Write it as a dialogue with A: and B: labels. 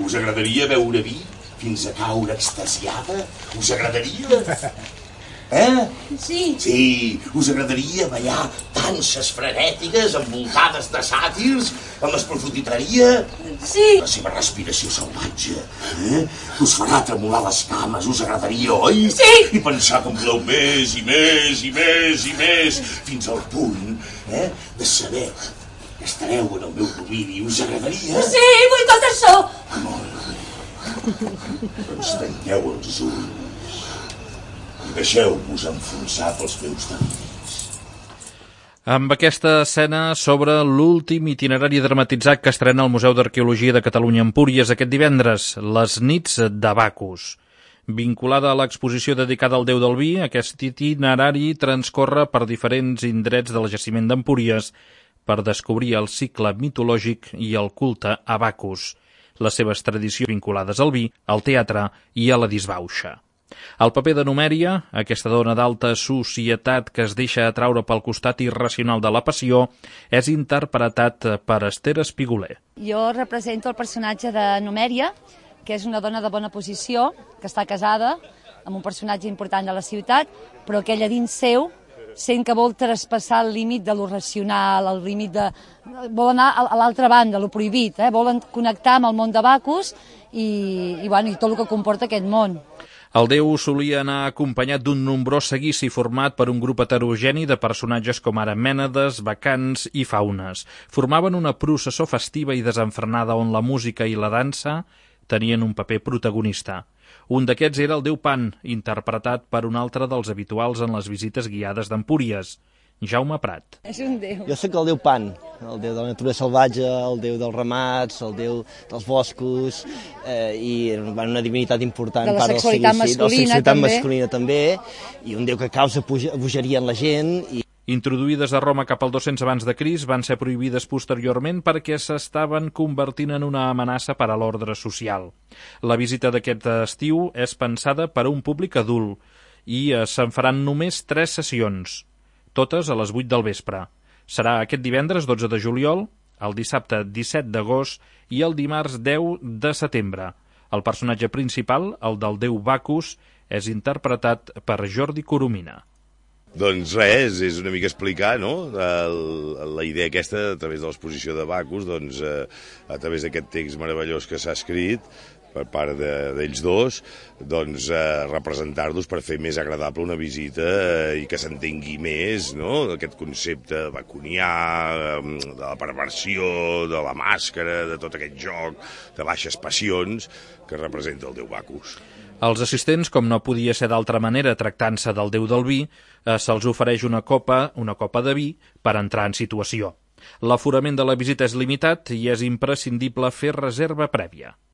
A: Us agradaria beure vi fins a caure extasiada? Us agradaria?
B: Sí.
A: Sí, us agradaria ballar danses frenètiques envoltades de sàtirs amb l'esprofunditaria?
B: Sí.
A: La seva respiració salvatge us farà tremolar les cames, us agradaria, oi?
B: Sí.
A: I pensar que en voleu més i més i més i més, fins al punt de saber que estareu en el meu domini. Us agradaria?
B: Sí, vull tot això.
A: Molt bé. Doncs tanqueu els ulls i deixeu-vos enfonsar pels meus deliris.
C: Amb aquesta escena s'obre l'últim itinerari dramatitzat que estrena el Museu d'Arqueologia de Catalunya a Empúries aquest divendres, Les nits de Bacus. Vinculada a l'exposició dedicada al déu del vi, aquest itinerari transcorre per diferents indrets del jaciment d'Empúries per descobrir el cicle mitològic i el culte a Bacus, les seves tradicions vinculades al vi, al teatre i a la disbauxa. El paper de Numèria, aquesta dona d'alta societat que es deixa atraure pel costat irracional de la passió, és interpretat per Esther Espiguler.
B: Jo represento el personatge de Numèria, que és una dona de bona posició, que està casada amb un personatge important de la ciutat, però que ella dins seu sent que vol traspassar el límit de lo racional, el límit de... vol anar a l'altra banda, lo prohibit, volen connectar amb el món de Bacus i tot el que comporta aquest món.
C: El déu solia anar acompanyat d'un nombrós seguici format per un grup heterogeni de personatges com ara mènades, bacants i faunes. Formaven una processó festiva i desenfrenada on la música i la dansa tenien un paper protagonista. Un d'aquests era el déu Pan, interpretat per un altre dels habituals en les visites guiades d'Empúries, Jaume Prat.
B: És un déu.
D: Jo soc el déu Pan, el déu de la natura salvatge, el déu dels ramats, el déu dels boscos, i una divinitat important.
B: De la sexualitat masculina,
D: masculina també, i un déu que causa bogeria en la gent.
C: Introduïdes a Roma cap al 200 abans de Crist, van ser prohibides posteriorment perquè s'estaven convertint en una amenaça per a l'ordre social. La visita d'aquest estiu és pensada per a un públic adult i se'n faran només 3 sessions, totes a les 8 del vespre. Serà aquest divendres 12 de juliol, el dissabte 17 d'agost i el dimarts 10 de setembre. El personatge principal, el del déu Bacus, és interpretat per Jordi Coromina.
E: Doncs res, és una mica explicar, no?, la idea aquesta a través de l'exposició de Bacus, doncs a través d'aquest text meravellós que s'ha escrit per part d'ells dos, doncs representar-los per fer més agradable una visita i que s'entengui més, no?, aquest concepte bacunià, de la perversió, de la màscara, de tot aquest joc de baixes passions que representa el déu Bacus.
C: Als assistents, com no podia ser d'altra manera tractant-se del déu del vi, se'ls ofereix una copa de vi per entrar en situació. L'aforament de la visita és limitat i és imprescindible fer reserva prèvia.